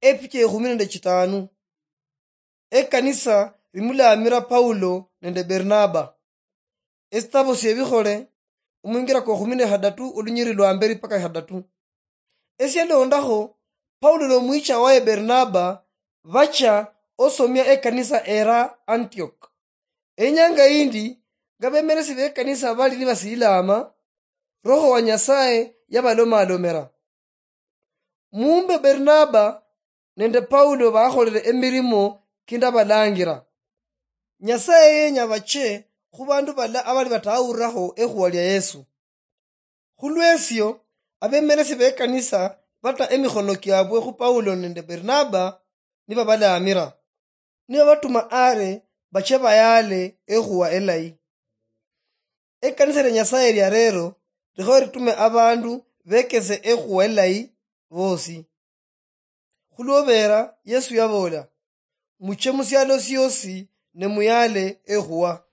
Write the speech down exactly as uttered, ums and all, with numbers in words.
epicha ekhumi nende chitanu. Ekanisa limulaamira Paulo nende Bernaba. Esitabo siebikhole, omwingira kwa khumi nehadatu, olunyiri lwa mberi paka hadatu. Esialondakho, Paulo nomwicha waye Bernaba bacha osomia ekanisa era Antioch. Enyanga yindi, nga bemeresi bekanisa bali nibasiilama, Roho wa Nyasaye yabalomalomera. Mumbe Bernaba nende Paulo bakholere emirimo kindabalangira. Nyasaye yenya bache khubandu bala abali batawurakho ekhuwa lia Yesu. Khulwesio, abemeresi bekanisa bata emikhono kiabwe khu Paulo nende Bernaba, nibabalaamira, nibabatuma are bache bayaale ekhuwa elayi. Ekanisa lia Nyasaye lia lero likhoye litume abandu bekese ekhuwa elayi bosi. Khulwobera Yesu yaboola, "Muche musialo siosi ne muyaale ekhuwa."